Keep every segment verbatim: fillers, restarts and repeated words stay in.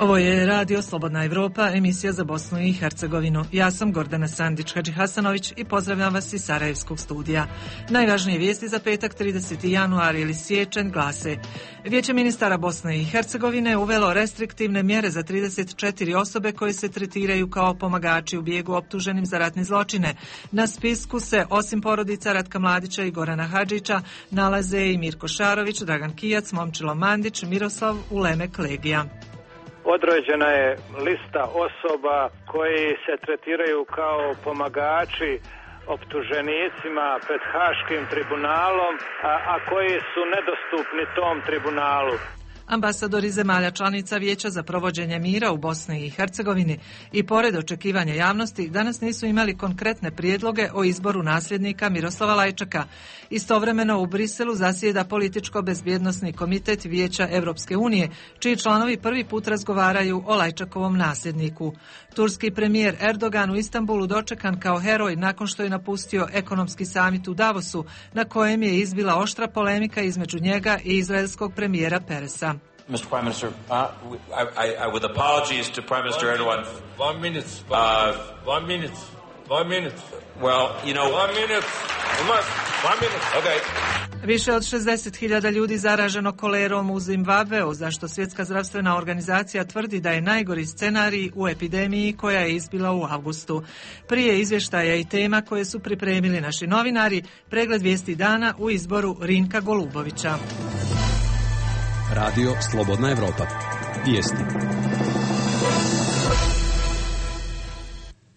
Ovo je Radio Slobodna Evropa, emisija za Bosnu i Hercegovinu. Ja sam Gordana Sandić-Hadžihasanović i pozdravljam vas iz Sarajevskog studija. Najvažnije vijesti za petak trideseti januar ili siječanj glase: Vijeće ministara Bosne i Hercegovine uvelo restriktivne mjere za trideset četiri osobe koje se tretiraju kao pomagači u bijegu optuženim za ratne zločine. Na spisku se, osim porodica Ratka Mladića i Gorana Hadžića, nalaze i Mirko Šarović, Dragan Kijac, Momčilo Mandić, Miroslav Ulemek Legija. Određena je lista osoba koji se tretiraju kao pomagači optuženicima pred Haškim tribunalom, a, a koji su nedostupni tom tribunalu. Ambasadori zemalja članica Vijeća za provođenje mira u Bosni i Hercegovini i pored očekivanja javnosti danas nisu imali konkretne prijedloge o izboru nasljednika Miroslava Lajčaka. Istovremeno u Briselu zasjeda političko-bezbjednosni komitet Vijeća Evropske unije, čiji članovi prvi put razgovaraju o Lajčakovom nasljedniku. Turski premijer Erdogan u Istanbulu dočekan kao heroj nakon što je napustio ekonomski samit u Davosu, na kojem je izbila oštra polemika između njega i izraelskog premijera Peresa. Mister Prime Minister, uh, I, I, I, with apologies to Prime Minister one Erdogan. Minute, one minute, one, uh, one minute, one minute. Well, you know... One minute, one minute, okay. Više od šezdeset hiljada ljudi zaraženo kolerom u Zimbabveu, za što Svjetska zdravstvena organizacija tvrdi da je najgori scenarij u epidemiji koja je izbila u avgustu. Prije izvještaja i tema koje su pripremili naši novinari, pregled vijesti dana u izboru Rinka Golubovića. Radio Slobodna Evropa. Vijesti.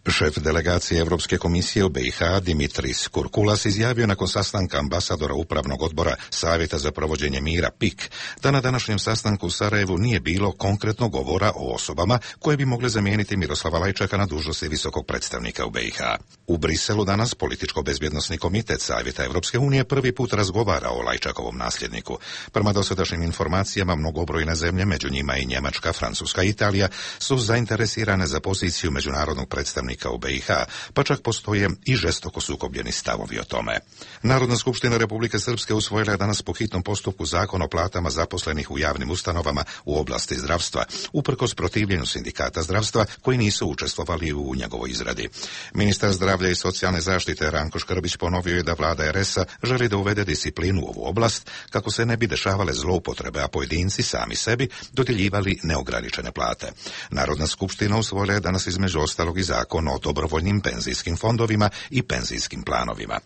Šef delegacije Europske komisije u B i H Dimitris Kurkulas izjavio nakon sastanka ambasadora Upravnog odbora Savjeta za provođenje mira P I K da na današnjem sastanku u Sarajevu nije bilo konkretnog govora o osobama koje bi mogle zamijeniti Miroslava Lajčaka na dužnosti visokog predstavnika u B i H. U Briselu danas političko-bezbjednosni komitet Savjeta Europske unije prvi put razgovara o Lajčakovom nasljedniku. Prema dosadašnjim informacijama, mnogobrojne zemlje, među njima i Njemačka, Francuska i Italija, su zainteresirane za poziciju međunarodnog predstavnika u B i H, pa čak postoje i žestoko sukobljeni stavovi o tome. Narodna skupština Republike Srpske usvojila je danas po hitnom postupku zakon o platama zaposlenih u javnim ustanovama u oblasti zdravstva, uprkos protivljenju sindikata zdravstva koji nisu učestvovali u njegovoj izradi. Ministar zdravlja i socijalne zaštite Ranko Škrbić ponovio je da vlada R S-a želi da uvede disciplinu u ovu oblast kako se ne bi dešavale zloupotrebe, a pojedinci sami sebi dodjeljivali neograničene plate. Narodna skupština usvojila je danas između ostalog i zakon o dobrovoljnim penzijskim fondovima i penzijskim planovima.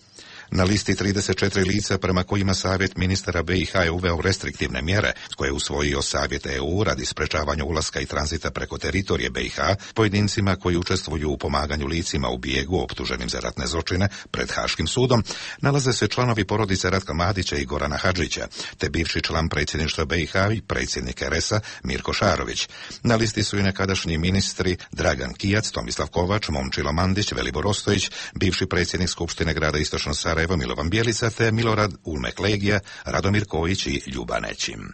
Na listi trideset četiri lica prema kojima Savjet ministara B i H je uveo restriktivne mjere koje je usvojio Savjet E U radi sprečavanja ulaska i tranzita preko teritorije B i H pojedincima koji učestvuju u pomaganju licima u bijegu optuženim za ratne zločine pred Haškim sudom, nalaze se članovi porodice Ratka Mladića i Gorana Hadžića, te bivši član predsjedništva B i H i predsjednik R S-a Mirko Šarović. Na listi su i nekadašnji ministri Dragan Kijac, Tomislav Kovač, Momčilo Mandić, Velibor Ostojić, bivši predsjednik Skupštine grada Istočno Sarajevo Milovan Bjelica te Milorad Ulmek Legija, Radomir Kojić i Ljuba Nećim.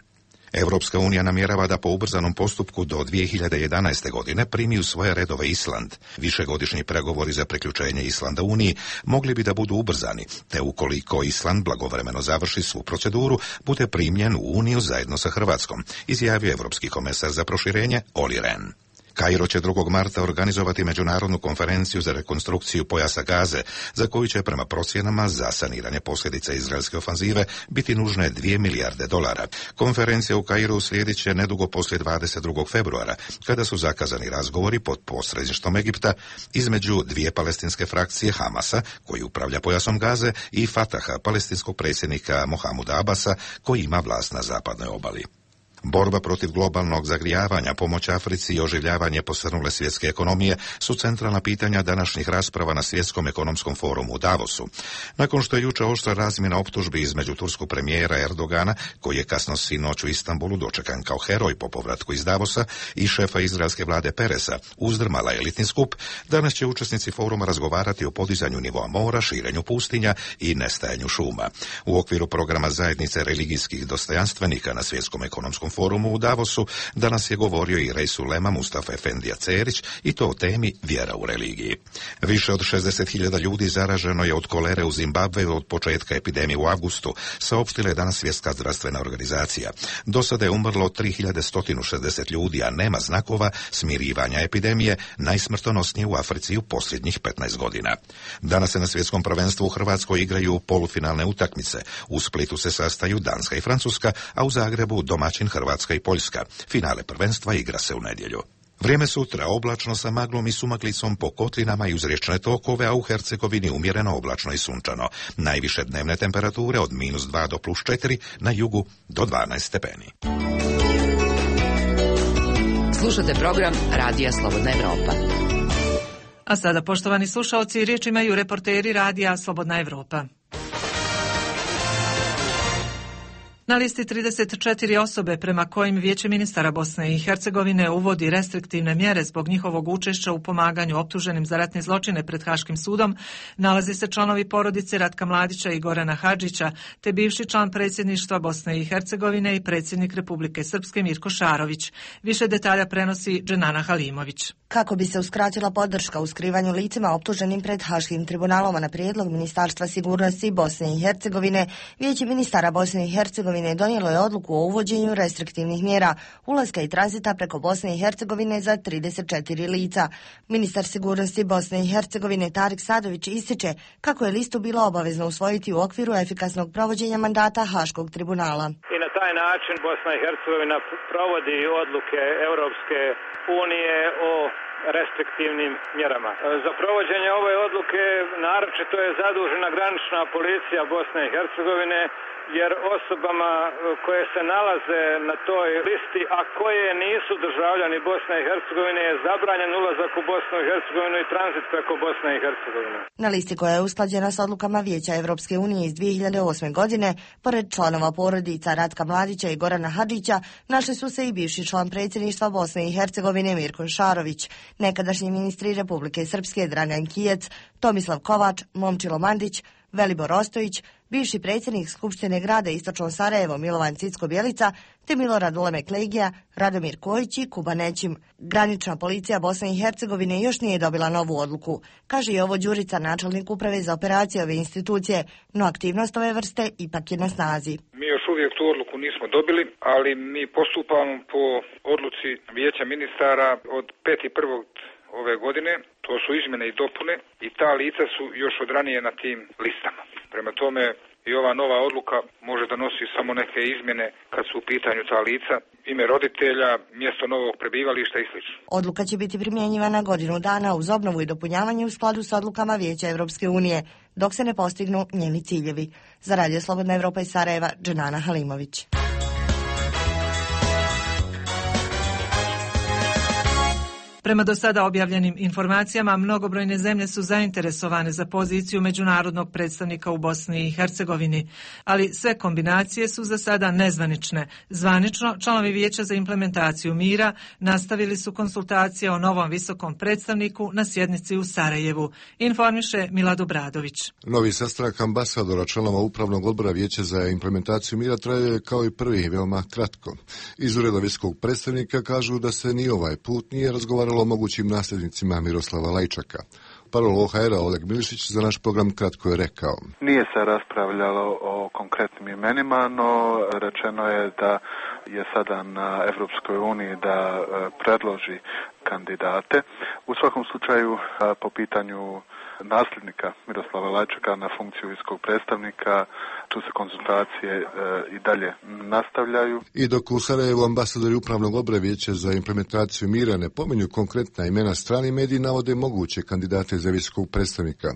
Europska unija namjerava da po ubrzanom postupku do dvije hiljade jedanaeste. godine primi u svoje redove Island. Višegodišnji pregovori za priključenje Islanda Uniji mogli bi da budu ubrzani, te ukoliko Island blagovremeno završi svu proceduru, bude primljen u Uniju zajedno sa Hrvatskom, izjavio Europski komesar za proširenje Olli Rehn. Kairo će drugog marta organizovati međunarodnu konferenciju za rekonstrukciju pojasa Gaze, za koju će prema procjenama za saniranje posljedica izraelske ofanzive biti nužne dvije milijarde dolara. Konferencija u Kairu uslijedit će nedugo poslije dvadeset drugog februara, kada su zakazani razgovori pod posredništvom Egipta između dvije palestinske frakcije Hamasa, koji upravlja pojasom Gaze, i Fataha, palestinskog predsjednika Mohamuda Abasa, koji ima vlast na zapadnoj obali. Borba protiv globalnog zagrijavanja, pomoć Africi i oživljavanje posrnule svjetske ekonomije su centralna pitanja današnjih rasprava na Svjetskom ekonomskom forumu u Davosu. Nakon što je jučer oštra razmjena optužbi između turskog premijera Erdogana, koji je kasno sinoć u Istanbulu dočekan kao heroj po povratku iz Davosa, i šefa izraelske vlade Peresa, uzdrmala elitni skup, danas će učesnici foruma razgovarati o podizanju nivoa mora, širenju pustinja i nestajanju šuma. U okviru programa zajednice religijskih dostojanstvenika na Svjetskom ekonomskom Islamičkom forumu u Davosu danas je govorio i Rejsulema Mustafa Efendija Cerić i to o temi vjera u religiji. Više od šezdeset hiljada ljudi zaraženo je od kolere u Zimbabveu od početka epidemije u avgustu, saopštila je danas Svjetska zdravstvena organizacija. Do sada je umrlo tri hiljade sto šezdeset ljudi, a nema znakova smirivanja epidemije, najsmrtonosnije u Africi u posljednjih petnaest godina. Danas se na svjetskom prvenstvu u Hrvatskoj igraju polufinalne utakmice. U Splitu se sastaju Danska i Francuska, a u Zagrebu domaćin Hrvatska i Poljska. Finale prvenstva igra se u nedjelju. Vrijeme sutra oblačno sa maglom i sumaklicom po kotlinama i uz riječne tokove, a u Hercegovini umjereno oblačno i sunčano. Najviše dnevne temperature od minus dva do plus četiri, na jugu do dvanaest stepeni. Slušate program Radija Slobodna Evropa. A sada, poštovani slušaoci, riječ imaju reporteri Radija Slobodna Evropa. Na listi trideset četiri osobe prema kojim Vijeće ministara Bosne i Hercegovine uvodi restriktivne mjere zbog njihovog učešća u pomaganju optuženim za ratne zločine pred Haškim sudom nalazi se članovi porodice Ratka Mladića i Gorana Hadžića, te bivši član predsjedništva Bosne i Hercegovine i predsjednik Republike Srpske Mirko Šarović. Više detalja prenosi Dženana Halimović. Kako bi se uskratila podrška u skrivanju licima optuženim pred Haškim tribunalom na prijedlog Ministarstva sigurnosti Bosne i Hercegovine, Vijeće ministara Bosne i Hercegovine donijelo je odluku o uvođenju restriktivnih mjera ulaska i tranzita preko Bosne i Hercegovine za trideset četiri lica. Ministar sigurnosti Bosne i Hercegovine Tarik Sadović ističe kako je listu bilo obavezno usvojiti u okviru efikasnog provođenja mandata Haškog tribunala. I na taj način Bosna i Hercegovina provodi odluke Europske unije o restriktivnim mjerama. Za provođenje ove odluke naročito je zadužena granična policija Bosne i Hercegovine, jer osobama koje se nalaze na toj listi, a koje nisu državljani Bosne i Hercegovine, je zabranjen ulazak u Bosnu i Hercegovinu i tranzit preko Bosne i Hercegovine. Na listi koja je usklađena s odlukama Vijeća Evropske unije iz dvije hiljade osme. godine, pored članova porodica Ratka Mladića i Gorana Hadžića, našli su se i bivši član predsjedništva Bosne i Hercegovine Mirko Šarović, nekadašnji ministri Republike Srpske Dragan Kijec, Tomislav Kovač, Momčilo Mandić, Velibor Ostojić, bivši predsjednik Skupštine grada Istočno Sarajevo Milovan Cicko-Bjelica, te Milorad Ulemek Legija, Radomir Kojić i Kuba Nećim. Granična policija Bosne i Hercegovine još nije dobila novu odluku, kaže i ovo Đurica, načelnik uprave za operacije ove institucije, no aktivnost ove vrste ipak je na snazi. Mi još uvijek tu odluku nismo dobili, ali mi postupamo po odluci Vijeća ministara od peti prvog ove godine. To su izmjene i dopune i ta lica su još od ranije na tim listama. Prema tome i ova nova odluka može donosi samo neke izmjene kad su u pitanju ta lica, ime roditelja, mjesto novog prebivališta i sl. Odluka će biti primjenjivana godinu dana uz obnovu i dopunjavanje u skladu s odlukama Vijeća Evropske unije, dok se ne postignu njeni ciljevi. Za Radio Slobodna Evropa iz Sarajeva, Dženana Halimović. Prema do sada objavljenim informacijama, mnogobrojne zemlje su zainteresovane za poziciju međunarodnog predstavnika u Bosni i Hercegovini, ali sve kombinacije su za sada nezvanične. Zvanično, članovi Vijeća za implementaciju mira nastavili su konsultacije o novom visokom predstavniku na sjednici u Sarajevu, informiše Milad Obradović. Novi sastanak ambasadora članova Upravnog odbora Vijeća za implementaciju mira traje kao i prvi veoma kratko. Iz ureda visokog predstavnika kažu da se ni ovaj put nije razgovaralo o mogućim nasljednicima Miroslava Lajčaka. Parol O H R-a Oleg Milišić za naš program kratko je rekao. Nije se raspravljalo o konkretnim imenima, no rečeno je da je sada na Evropskoj uniji da predloži kandidate. U svakom slučaju po pitanju nasljednika Miroslava Lajčaka na funkciju visokog predstavnika, tu se konzultacije e, i dalje nastavljaju. I dok u Sarajevu ambasadori Upravnog odbora Vijeća za implementaciju mira ne pominju konkretna imena, strani mediji navode moguće kandidate za visokog predstavnika.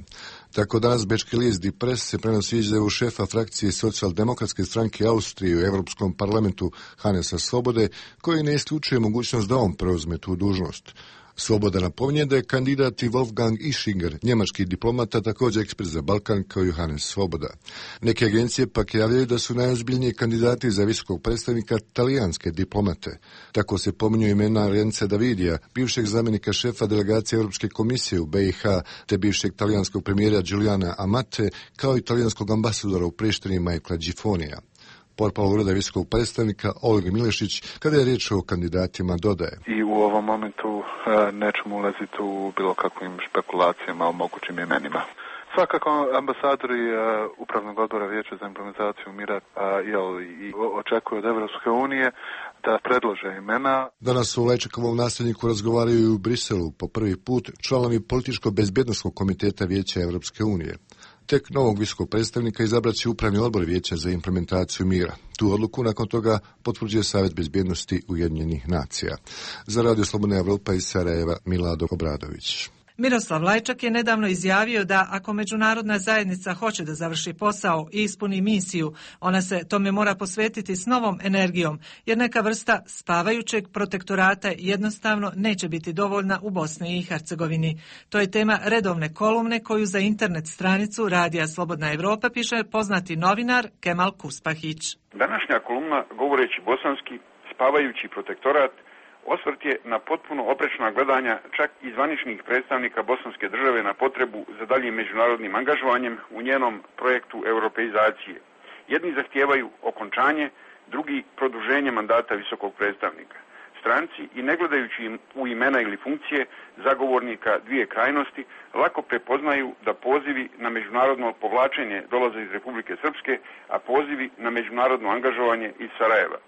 Tako danas bečki list Die Press se prenosi izjavu šefa frakcije socijaldemokratske stranke Austrije u Europskom parlamentu Hanesa Svobode, koji ne isključuje mogućnost da on preuzme tu dužnost. Svoboda napominje da je kandidat i Wolfgang Ischinger, njemački diplomata, također ekspert za Balkan kao Johannes Svoboda. Neke agencije pak javljaju da su najozbiljniji kandidati za visokog predstavnika talijanske diplomate. Tako se pominju imena Renza Davidija, bivšeg zamjenika šefa delegacije Europske komisije u B i H, te bivšeg talijanskog premijera Giuliana Amate, kao i talijanskog ambasadora u Prištini Michaela Gifonija. Portparol ureda visokog predstavnika Olga Milešić, kada je riječ o kandidatima, dodaje. I u ovom momentu nećemo ulaziti u bilo kakvim špekulacijama o mogućim imenima. Svakako ambasadori uh, Upravnog odbora Vijeća za implementaciju mira uh, jel, i očekuju od Evropske unije da predlože imena. Danas u Lajčakovom nasljedniku razgovaraju i u Briselu po prvi put članovi Političko-bezbjednosnog komiteta Vijeća Evropske unije. Tek novog visokog predstavnika izabrat će Upravni odbor Vijeća za implementaciju mira. Tu odluku nakon toga potvrđuje Savjet bezbjednosti Ujedinjenih nacija. Za Radio Slobodna Evropa iz Sarajeva, Milado Obradović. Miroslav Lajčak je nedavno izjavio da ako međunarodna zajednica hoće da završi posao i ispuni misiju, ona se tome mora posvetiti s novom energijom, jer neka vrsta spavajućeg protektorata jednostavno neće biti dovoljna u Bosni i Hercegovini. To je tema redovne kolumne koju za internet stranicu Radija Slobodna Evropa piše poznati novinar Kemal Kuspahić. Današnja kolumna, govoreći bosanski, spavajući protektorat, osvrt je na potpuno oprečna gledanja čak i zvaničnih predstavnika bosanske države na potrebu za daljim međunarodnim angažovanjem u njenom projektu europeizacije. Jedni zahtijevaju okončanje, drugi produženje mandata visokog predstavnika. Stranci, i ne gledajući im u imena ili funkcije zagovornika dvije krajnosti, lako prepoznaju da pozivi na međunarodno povlačenje dolaze iz Republike Srpske, a pozivi na međunarodno angažovanje iz Sarajeva.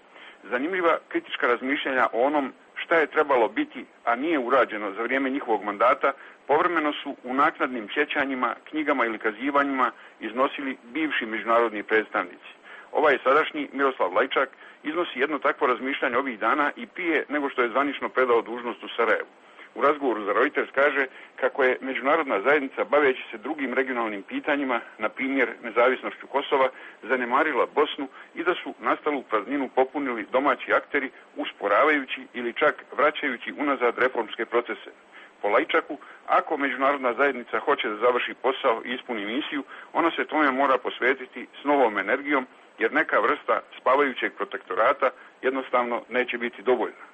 Zanimljiva kritička razmišljanja o onom šta je trebalo biti, a nije urađeno za vrijeme njihovog mandata, povremeno su u naknadnim sjećanjima, knjigama ili kazivanjima iznosili bivši međunarodni predstavnici. Ovaj sadašnji Miroslav Lajčak iznosi jedno takvo razmišljanje ovih dana i prije nego što je zvanično predao dužnost u Sarajevu. U razgovoru za Reuters kaže kako je međunarodna zajednica, baveći se drugim regionalnim pitanjima, na primjer nezavisnošću Kosova, zanemarila Bosnu i da su nastalu prazninu popunili domaći akteri, usporavajući ili čak vraćajući unazad reformske procese. Po Lajčaku, ako međunarodna zajednica hoće da završi posao i ispuni misiju, ona se tome mora posvetiti s novom energijom, jer neka vrsta spavajućeg protektorata jednostavno neće biti dovoljna.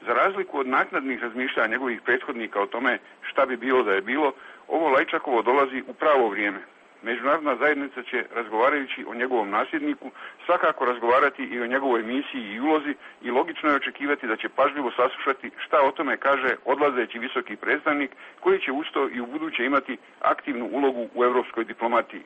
Za razliku od naknadnih razmišljanja njegovih prethodnika o tome šta bi bilo da je bilo, ovo Lajčakovo dolazi u pravo vrijeme. Međunarodna zajednica će, razgovarajući o njegovom nasljedniku, svakako razgovarati i o njegovoj misiji i ulozi i logično je očekivati da će pažljivo saslušati šta o tome kaže odlazeći visoki predstavnik koji će usto i u buduće imati aktivnu ulogu u europskoj diplomatiji.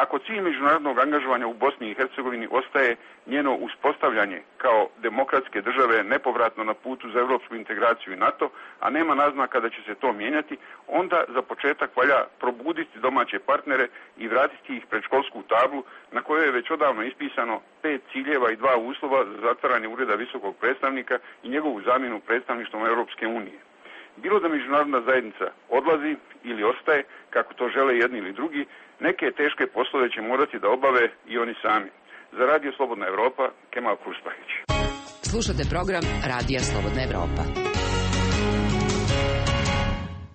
Ako cilj međunarodnog angažovanja u Bosni i Hercegovini ostaje njeno uspostavljanje kao demokratske države nepovratno na putu za europsku integraciju i NATO, a nema naznaka da će se to mijenjati, onda za početak valja probuditi domaće partnere i vratiti ih pred školsku tablu na kojoj je već odavno ispisano pet ciljeva i dva uslova za zatvaranje ureda visokog predstavnika i njegovu zamjenu predstavništvom Europske unije. Bilo da međunarodna zajednica odlazi ili ostaje, kako to žele jedni ili drugi, neke teške poslove će morati da obave i oni sami. Za Radio Slobodna Evropa, Kemal Kuspahić. Slušate program Radija Slobodna Evropa.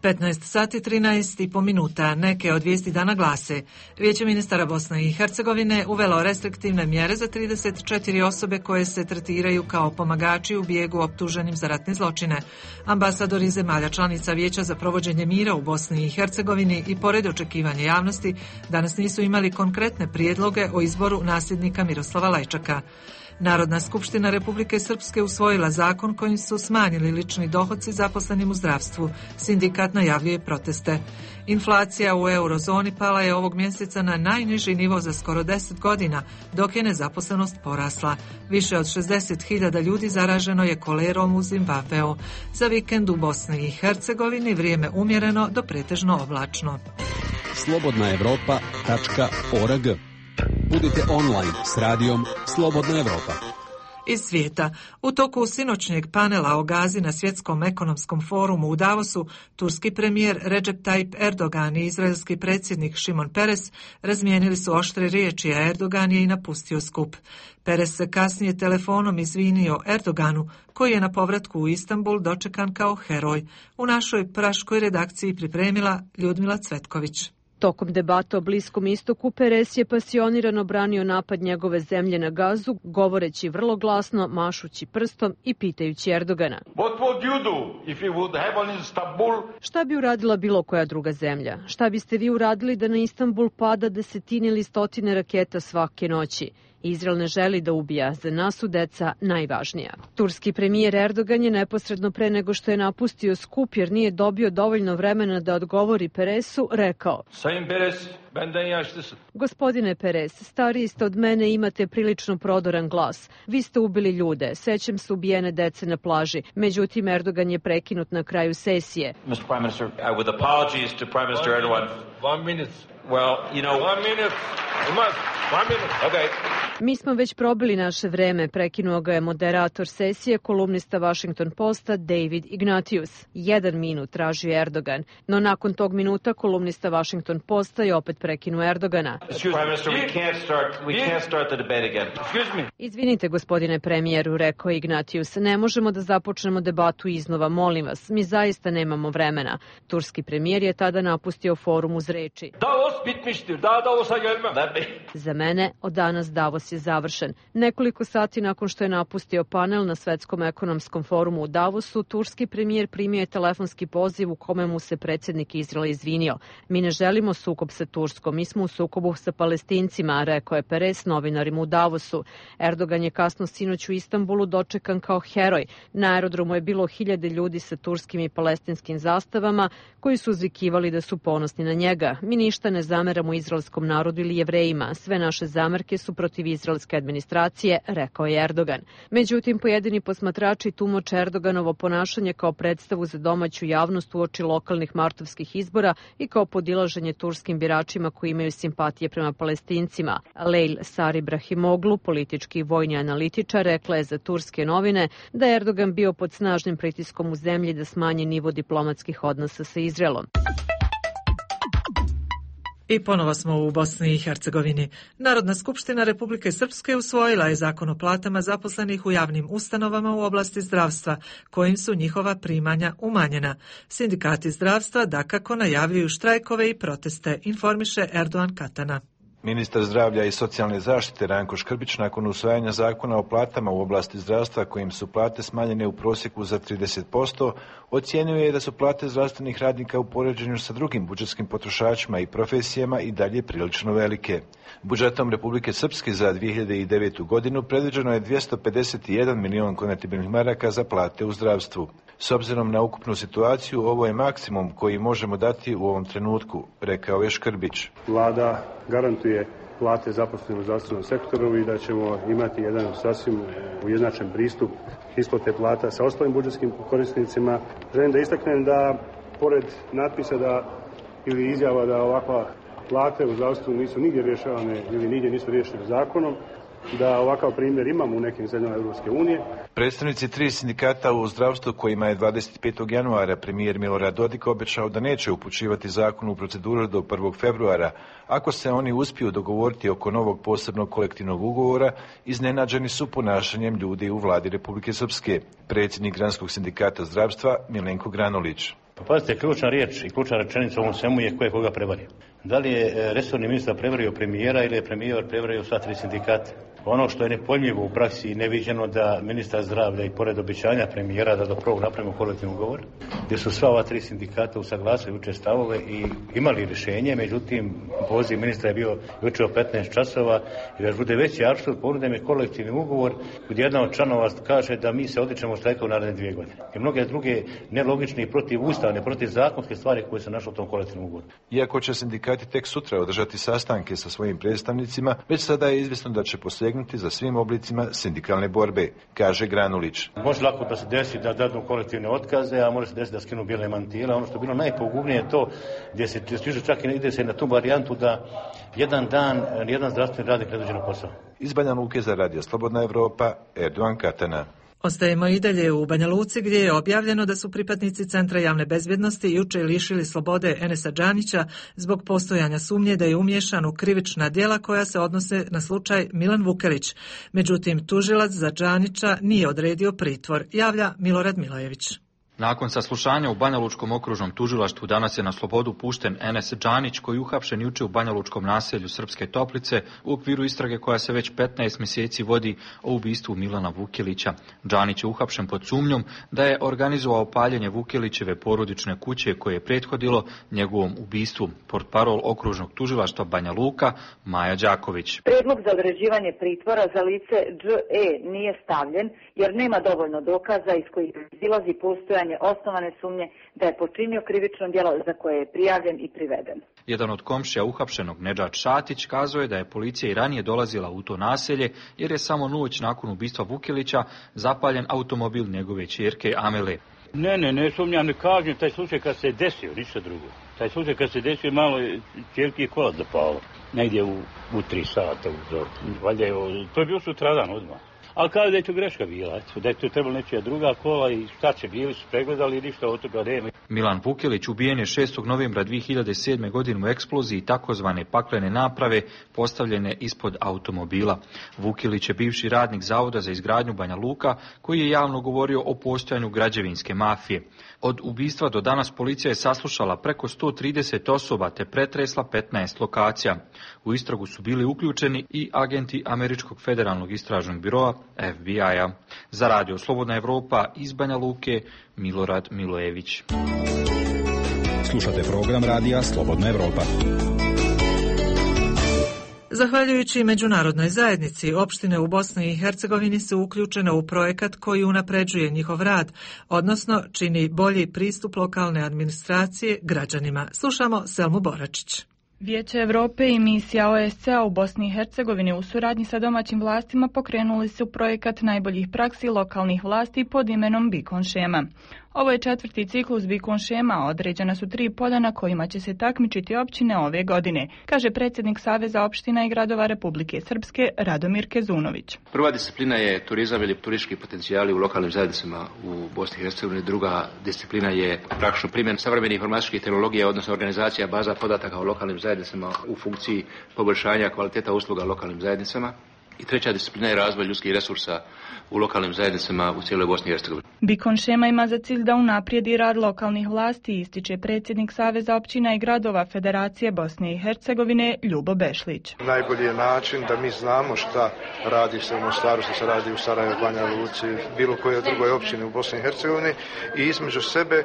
petnaest sati trinaest i po minuta. Neke od vijesti dana glase: Vijeće ministara Bosne i Hercegovine uvelo restriktivne mjere za trideset četiri osobe koje se tretiraju kao pomagači u bijegu optuženim za ratne zločine. Ambasadori zemalja članica Vijeća za provođenje mira u Bosni i Hercegovini i pored očekivanja javnosti danas nisu imali konkretne prijedloge o izboru nasljednika Miroslava Lajčaka. Narodna skupština Republike Srpske usvojila zakon kojim su smanjili lični dohoci zaposlenim u zdravstvu. Sindikat najavljuje proteste. Inflacija u eurozoni pala je ovog mjeseca na najniži nivo za skoro deset godina, dok je nezaposlenost porasla. Više od šezdeset hiljada ljudi zaraženo je kolerom u Zimbabveu. Za vikend u Bosni i Hercegovini vrijeme umjereno do pretežno oblačno. slobodna evropa tačka org. Budite online s radijom Slobodna Evropa. Iz svijeta. U toku sinoćnjeg panela o Gazi na Svjetskom ekonomskom forumu u Davosu, turski premijer Recep Tayyip Erdogan i izraelski predsjednik Šimon Peres razmijenili su oštre riječi, a Erdogan je i napustio skup. Peres se kasnije telefonom izvinio Erdoganu, koji je na povratku u Istanbul dočekan kao heroj. U našoj praškoj redakciji pripremila Ljudmila Cvetković. Tokom debata o Bliskom istoku, Peres je pasionirano branio napad njegove zemlje na Gazu, govoreći vrlo glasno, mašući prstom i pitajući Erdogana. Šta bi uradila bilo koja druga zemlja? Šta biste vi uradili da na Istanbul pada desetine ili stotine raketa svake noći? Izrael ne želi da ubija, za nas su deca najvažnija. Turski premijer Erdogan je neposredno pre nego što je napustio skup jer nije dobio dovoljno vremena da odgovori Peresu, rekao: Sayın Peres, benden yaşlısın. Gospodine Peres, stariji ste od mene i imate prilično prodoran glas. Vi ste ubili ljude, sećam se ubijene dece na plaži. Međutim, Erdogan je prekinut na kraju sesije. mister Prime Minister, uh, with apologies to Prime Minister One Erdogan. minute. One minute. Well, you know... One minute. You must. One minute. Okay. Mi smo već probili naše vreme, prekinuo ga je moderator sesije, kolumnista Washington Posta David Ignatius. Jedan minut tražio Erdogan, no nakon tog minuta kolumnista Washington Posta je opet prekinuo Erdogana. Prime Minister, we can't start, we can't start the debate again. Excuse me. Izvinite, gospodine premijeru, rekao Ignatius, ne možemo da započnemo debatu iznova, molim vas, mi zaista nemamo vremena. Turski premijer je tada napustio forum uz reči: Davos bitmiştir. Daha Davos'a gelmem. Za mene od danas Davos je završen. Nekoliko sati nakon što je napustio panel na Svetskom ekonomskom forumu u Davosu, turski premijer primio je telefonski poziv u kome mu se predsjednik Izraela izvinio. Mi ne želimo sukob sa Turskom, mi smo u sukobu sa Palestincima, rekao je Peres novinarima u Davosu. Erdogan je kasno sinoć u Istanbulu dočekan kao heroj. Na aerodromu je bilo hiljade ljudi sa turskim i palestinskim zastavama koji su uzvikivali da su ponosni na njega. Mi ništa ne zameramo izraelskom narodu ili Jevrejima. Sve naše zamerke su protiv izraelske administracije, rekao je Erdogan. Međutim, pojedini posmatrači tumače Erdoganovo ponašanje kao predstavu za domaću javnost uoči lokalnih martovskih izbora i kao podilaženje turskim biračima koji imaju simpatije prema Palestincima. Lejl Sari Brahimoglu, politički i vojni analitičar, rekla je za turske novine da je Erdogan bio pod snažnim pritiskom u zemlji da smanji nivo diplomatskih odnosa sa Izraelom. I ponovo smo u Bosni i Hercegovini. Narodna skupština Republike Srpske usvojila je zakon o platama zaposlenih u javnim ustanovama u oblasti zdravstva, kojim su njihova primanja umanjena. Sindikati zdravstva dakako najavljuju štrajkove i proteste, informiše Erdogan Katana. Ministar zdravlja i socijalne zaštite Ranko Škrbić nakon usvajanja zakona o platama u oblasti zdravstva kojim su plate smanjene u prosjeku za trideset posto, ocijenio je da su plate zdravstvenih radnika u poređenju sa drugim budžetskim potrošačima i profesijama i dalje prilično velike. Budžetom Republike Srpske za dvije hiljade devetu godinu predviđeno je dvjesto pedeset jedan milion konvertibilnih maraka za plate u zdravstvu. S obzirom na ukupnu situaciju, ovo je maksimum koji možemo dati u ovom trenutku, rekao je Škrbić. Vlada garantuje plate zaposlenih u zdravstvenom sektoru i da ćemo imati jedan sasvim ujednačen pristup isplate plata sa ostalim budžetskim korisnicima. Želim da istaknem da, pored natpisa da ili izjava da ovakva plate u zdravstvu nisu nigdje rješavane ili nigdje nisu rješene zakonom, da ovakav primjer imamo u nekim zemljama Europske unije. Predstavnici tri sindikata u zdravstvu kojima je dvadeset petog januara premijer Milorad Dodik obećao da neće upućivati zakon u proceduru do prvog februara, ako se oni uspiju dogovoriti oko novog posebnog kolektivnog ugovora, iznenađeni su ponašanjem ljudi u vladi Republike Srpske. Predsjednik Granskog sindikata zdravstva Milenko Granulić. Pa pazite, ključna riječ i ključna rečenica u ovom svemu je ko je koga prevario. Da li je resorni ministar prevario premijera ili je premijer prevario sva tri sindikata? Ono što je nepojmljivo u praksi i neviđeno da ministar zdravlja i pored obećanja premijera da do prvog napravimo kolektivni ugovor, gdje su sva ova tri sindikata usaglasili jučer stavove i imali rješenje, međutim poziv ministra je bio jučer o petnaest časova i da bude veći apsurd, ponude mi kolektivni ugovor gdje jedna od članova kaže da mi se odričemo štrajka u naredne dvije godine. I mnoge druge nelogične i protivustavne, protivzakonske stvari koje se našle u tom kolektivnom ugovoru. Iako će sindikati tek sutra održati sastanke sa svojim predstavnicima, već sada je izvjesno da će posegnuti za svim oblicima sindikalne borbe, kaže Granulić. Može lako da se desi da dadnu kolektivne otkaze, a može se desiti da skinu bijele mantile. Ono što je bilo najpogubnije je to gdje se stiže čak i ide se na tu varijantu da jedan dan jedan zdravstveni radnik ne dođe na posao. Iz Banja Luke za Radio Slobodna Evropa, Erdogan Katana. Ostajemo i dalje u Banja Luci gdje je objavljeno da su pripadnici Centra javne bezbjednosti jučer lišili slobode Enesa Džanića zbog postojanja sumnje da je umiješan u krivična djela koja se odnose na slučaj Milan Vukelić. Međutim, tužilac za Džanića nije odredio pritvor, javlja Milorad Milojević. Nakon saslušanja u Banjalučkom okružnom tužilaštvu danas je na slobodu pušten Enes Džanić, koji je uhapšen juče u Banjalučkom naselju Srpske Toplice u okviru istrage koja se već petnaest mjeseci vodi o ubistvu Milana Vukelića. Džanić je uhapšen pod sumnjom da je organizovao paljenje Vukelićeve porodične kuće koje je prethodilo njegovom ubistvu. Portparol okružnog tužilaštva Banja Luka, Maja Đaković. Prijedlog za određivanje pritvora za lice Dž E nije stavljen jer nema dovoljno dokaza iz kojih izlazi postojanje osnovane sumnje da je počinio krivično djelo za koje je prijavljen i priveden. Jedan od komšija uhapšenog, Nedžad Šatić, kazao je da je policija i ranije dolazila u to naselje jer je samo noć nakon ubistva Vukelića zapaljen automobil njegove ćerke Amele. Ne, ne, ne sumnjam, ne kažem, taj slučaj kad se desio, ništa drugo. Taj slučaj kad se desio, malo ćerki je kola zapalo, negdje u, u tri sata. U, valjda je, to je bio sutradan odmah. Ali kada da je to greška bila, da je to trebalo nečija druga kola i šta će bili su pregledali i ništa od toga nema. Milan Vukelić ubijen je šestog novembra dvije hiljade sedme. godine u eksploziji takozvane paklene naprave postavljene ispod automobila. Vukelić je bivši radnik Zavoda za izgradnju Banja Luka koji je javno govorio o postojanju građevinske mafije. Od ubistva do danas policija je saslušala preko sto trideset osoba te pretresla petnaest lokacija. U istragu su bili uključeni i agenti Američkog federalnog istražnog biroa F B I-a. Za Radio Slobodna Evropa iz Banja Luke, Milorad Milojević. Slušate program Radija Slobodna Evropa. Zahvaljujući međunarodnoj zajednici, opštine u Bosni i Hercegovini su uključene u projekat koji unapređuje njihov rad, odnosno čini bolji pristup lokalne administracije građanima. Slušamo Selmu Boračić. Vijeće Europe i misija O S C-a u Bosni i Hercegovini u suradnji sa domaćim vlastima pokrenuli su projekat najboljih praksi lokalnih vlasti pod imenom Bikon šema. Ovo je četvrti ciklus Bikon šema, određena su tri polja na kojima će se takmičiti općine ove godine, kaže predsjednik Saveza opština i gradova Republike Srpske Radomir Kezunović. Prva disciplina je turizam ili turistički potencijali u lokalnim zajednicama u Bosni i Hercegovini. Druga disciplina je praktično primjen savremenih informatičkih tehnologija, odnosno organizacija baza podataka o lokalnim zajednicama u funkciji poboljšanja kvaliteta usluga lokalnim zajednicama. I treća disciplina je razvoj ljudskih resursa u lokalnim zajednicama u cijeloj Bosni i Hercegovini. Bikon šema ima za cilj da unaprijedi rad lokalnih vlasti, ističe predsjednik Saveza općina i gradova Federacije Bosne i Hercegovine Ljubo Bešlić. Najbolji je način da mi znamo šta radi se u Mostaru, što se radi u Sarajevu, Banja Luci, bilo koje drugoj općini u Bosni i Hercegovini i između sebe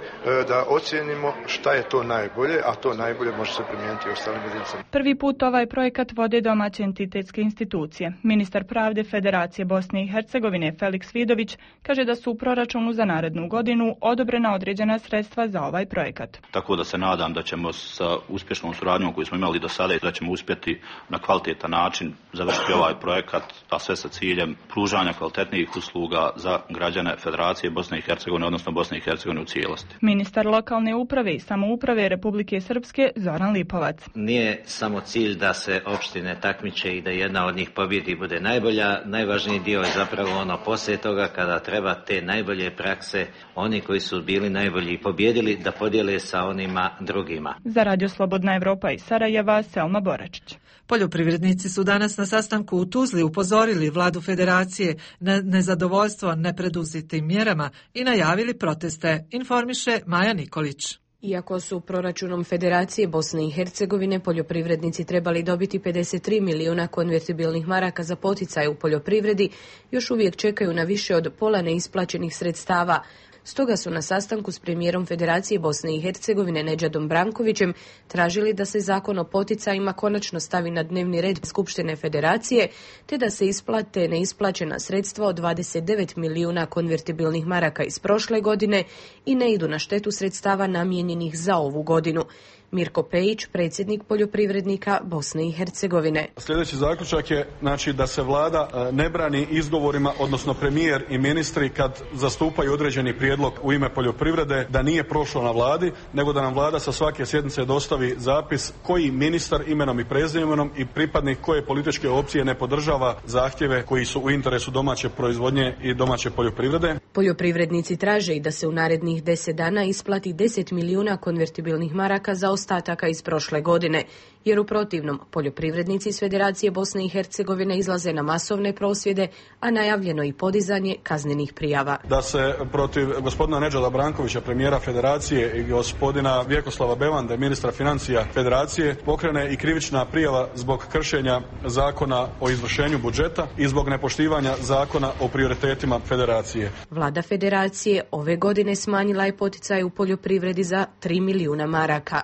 da ocijenimo šta je to najbolje, a to najbolje može se primijeniti u ostalim jedinicama. Prvi put ovaj projekat vode domaće entitetske institucije. Ministar pravde Federacije Bosne i Hercegovine Feliks Vidović kaže da su u proračunu za narednu godinu odobrena određena sredstva za ovaj projekat. Tako da se nadam da ćemo sa uspješnom suradnjom koju smo imali do sada i da ćemo uspjeti na kvalitetan način završiti ovaj projekat, a sve sa ciljem pružanja kvalitetnijih usluga za građane Federacije Bosne i Hercegovine, odnosno Bosne i Hercegovine u cijelosti. Ministar lokalne uprave i samouprave Republike Srpske Zoran Lipovac. Nije samo cilj da se opštine takmiče i da jedna od njih pobjedi bude najbolja, najvažniji dio je zapravo ono poslije toga kada treba te najbolje prakse, oni koji su bili najbolji i pobjedili, da podijele sa onima drugima. Za Radio Slobodna Evropa iz Sarajeva, Selma Boračić. Poljoprivrednici su danas na sastanku u Tuzli upozorili vladu Federacije na nezadovoljstvo nepreduzetim mjerama i najavili proteste, informiše Maja Nikolić. Iako su proračunom Federacije Bosne i Hercegovine poljoprivrednici trebali dobiti pedeset tri milijuna konvertibilnih maraka za poticaj u poljoprivredi, još uvijek čekaju na više od pola neisplaćenih sredstava. Stoga su na sastanku s premijerom Federacije Bosne i Hercegovine Nedžadom Brankovićem tražili da se zakon o poticajima konačno stavi na dnevni red Skupštine Federacije, te da se isplate neisplaćena sredstva od dvadeset devet milijuna konvertibilnih maraka iz prošle godine i ne idu na štetu sredstava namijenjenih za ovu godinu. Mirko Pejić, predsjednik poljoprivrednika Bosne i Hercegovine. Sljedeći zaključak je znači, da se vlada ne brani izgovorima, odnosno premijer i ministri kad zastupaju određeni prijedlog u ime poljoprivrede, da nije prošlo na vladi, nego da nam vlada sa svake sjednice dostavi zapis koji ministar imenom i prezimenom i pripadnik koje političke opcije ne podržava zahtjeve koji su u interesu domaće proizvodnje i domaće poljoprivrede. Poljoprivrednici traže i da se u narednih deset dana isplati deset milijuna konvertibilnih maraka za ostataka iz prošle godine, jer u protivnom poljoprivrednici iz Federacije Bosne i Hercegovine izlaze na masovne prosvjede, a najavljeno i podizanje kaznenih prijava. Da se protiv gospodina Nedžada Brankovića, premijera Federacije, i gospodina Vjekoslava Bevande, ministra financija Federacije, pokrene i krivična prijava zbog kršenja zakona o izvršenju budžeta i zbog nepoštivanja zakona o prioritetima Federacije. Vlada Federacije ove godine smanjila je poticaj u poljoprivredi za tri milijuna maraka.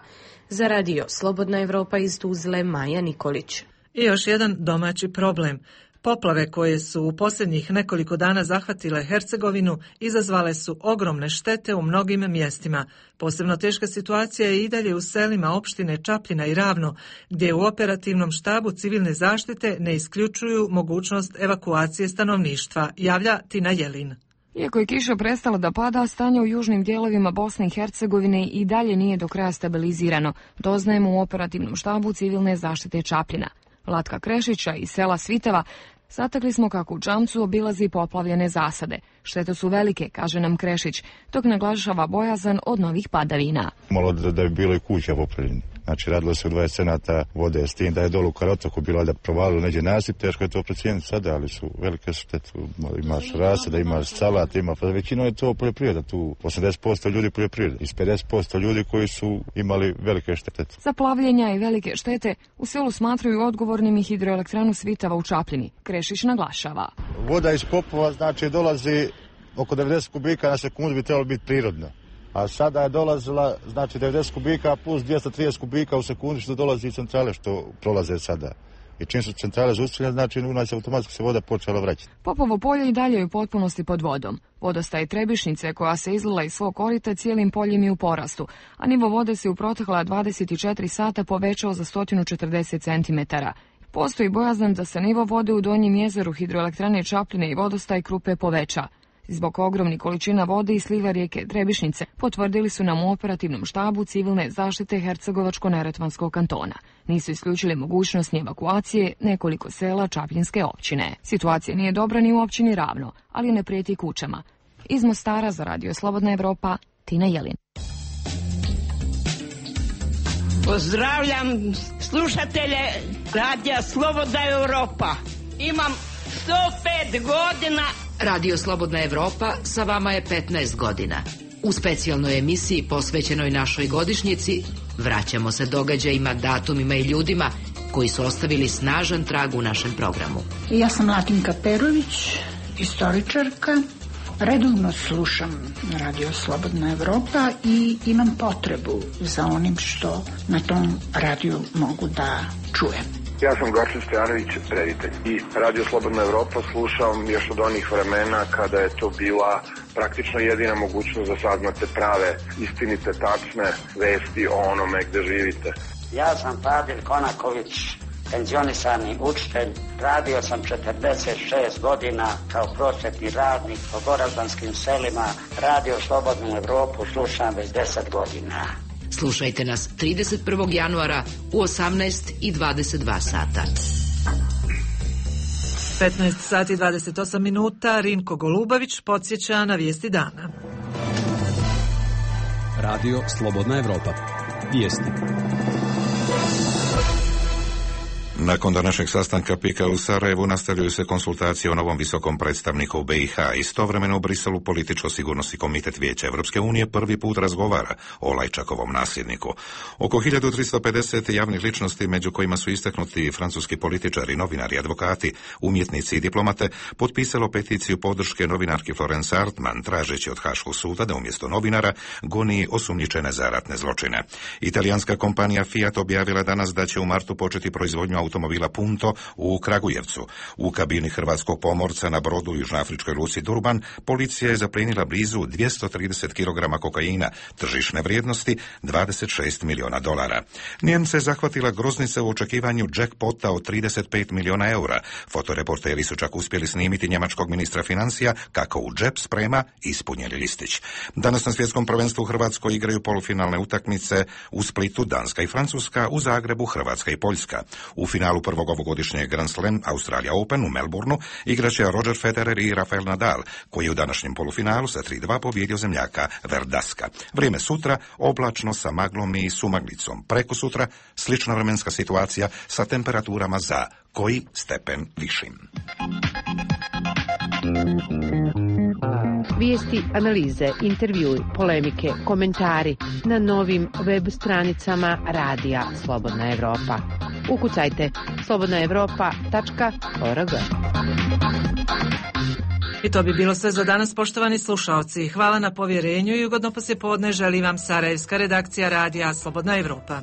Za radio Slobodna Evropa iz Tuzle, Maja Nikolić. I još jedan domaći problem. Poplave koje su u posljednjih nekoliko dana zahvatile Hercegovinu izazvale su ogromne štete u mnogim mjestima. Posebno teška situacija je i dalje u selima opštine Čapljina i Ravno, gdje u operativnom štabu civilne zaštite ne isključuju mogućnost evakuacije stanovništva, javlja Tina Jelin. Iako je kiša prestala da pada, stanje u južnim dijelovima Bosne i Hercegovine i dalje nije do kraja stabilizirano, doznajemo u operativnom štabu civilne zaštite Čapljina. Vlatka Krešića iz sela Svitava zatekli smo kako u Čamcu obilazi poplavljene zasade. Štete su velike, kaže nam Krešić, dok naglašava bojazan od novih padavina. Malo da, da je bilo i kuća popravljeni. Znači, radilo se u dvadeset cenata vode, s tim da je dolu u Karotoku bilo da provalilo neđe nasip, teško je to procijeniti sada, ali su velike štete. Imaš rasada, imaš salat, ima, pa većino je to poljoprivreda, tu osamdeset posto ljudi poljoprivreda, iz pedeset posto ljudi koji su imali velike štete. Zaplavljenja i velike štete u selu smatraju odgovornim i hidroelektranu Svitava u Čapljini. Krešić naglašava. Voda iz popova, znači, dolazi oko devedeset kubika na sekundu, bi trebalo biti prirodno. A sada je dolazila, znači, devedeset kubika plus dvjesto trideset kubika u sekundi što dolazi iz centrale što prolaze sada. I čim su centrale zaustavljene, znači u nas automatski se voda počela vraćati. Popovo polje i dalje je u potpunosti pod vodom. Vodostaj Trebišnice, koja se izlila iz svog korita, cijelim poljem je u porastu, a nivo vode se u protekla dvadeset četiri sata povećao za sto četrdeset centimetara. Postoji bojazan da se nivo vode u Donjem jezeru hidroelektrane Čapljine i vodostaj Krupe poveća. Zbog ogromnih količina vode i sliva rijeke Trebišnice, potvrdili su nam u operativnom štabu civilne zaštite Hercegovačko-Neretvanskog kantona. Nisu isključili mogućnost ni evakuacije nekoliko sela Čapljinske općine. Situacija nije dobra ni u općini Ravno, ali ne prijeti kućama. Iz Mostara za radio Slobodna Evropa, Tina Jelin. Pozdravljam slušatelje radija Slobodna Evropa. Imam sto pet godina. Radio Slobodna Evropa sa vama je petnaest godina. U specijalnoj emisiji posvećenoj našoj godišnjici vraćamo se događajima, datumima i ljudima koji su ostavili snažan trag u našem programu. Ja sam Latinka Perović, istoričarka. Redovno slušam Radio Slobodna Evropa i imam potrebu za onim što na tom radiju mogu da čujem. Ja sam Gorčin Stojanović, reditelj. I Radio Slobodna Evropa slušam još od onih vremena kada je to bila praktično jedina mogućnost da saznate prave, istinite, tačne vesti o onome gde živite. Ja sam Fadil Konaković, penzionisani učitelj. Radio sam četrdeset šest godina kao prosvetni radnik po goraždanskim selima. Radio Slobodnu Evropu slušam već deset godina. Slušajte nas trideset prvog januara u osamnaest i dvadeset dva sata. petnaest sati i dvadeset osam minuta, Rinko Golubavić podsjeća na vijesti dana. Radio Slobodna Evropa. Vijesti. Nakon današnjeg sastanka Pika u Sarajevu nastavljaju se konsultacije o novom visokom predstavniku u B i H. Istovremeno u Briselu Političko-sigurnosni komitet Vijeća Evropske unije prvi put razgovara o Lajčakovom nasljedniku. Oko hiljadu tristo pedeset javnih ličnosti, među kojima su istaknuti francuski političari, novinari, advokati, umjetnici i diplomate, potpisalo peticiju podrške novinarki Florence Artman, tražeći od Haškog suda da umjesto novinara goni osumnjičene za ratne zločine. Italijanska kompanija Fiat objavila danas da će u martu početi proizvodnju automobila Punto u Kragujevcu. U kabini hrvatskog pomorca na brodu u južnoafričkoj luci Durban policija je zaplijenila blizu dvjesto trideset kilograma kokaina, tržišne vrijednosti dvadeset šest milijuna dolara. Njemce zahvatila groznica u očekivanju jackpota od trideset pet milijuna eura. Fotoreporteri su čak uspjeli snimiti njemačkog ministra financija kako u džep sprema ispunjeni listić. Danas na svjetskom prvenstvu u Hrvatskoj igraju polufinalne utakmice u Splitu Danska i Francuska, u Zagrebu Hrvatska i Poljska. U finalu prvog ovogodišnjeg Grand Slam Australia Open u Melbourneu igraće Roger Federer i Rafael Nadal, koji je u današnjem polufinalu sa tri dva pobjedio zemljaka Verdaska. Vrijeme sutra oblačno sa maglom i sumaglicom. Preko sutra slična vremenska situacija sa temperaturama za koji stepen višim. Vijesti, analize, intervjui, polemike, komentari na novim web stranicama Radija Slobodna Evropa. Ukucajte slobodna evropa tačka org. I to bi bilo sve za danas, poštovani slušaoci. Hvala na povjerenju i ugodno poslijepodne želim vam sarajevska redakcija Radija Slobodna Evropa.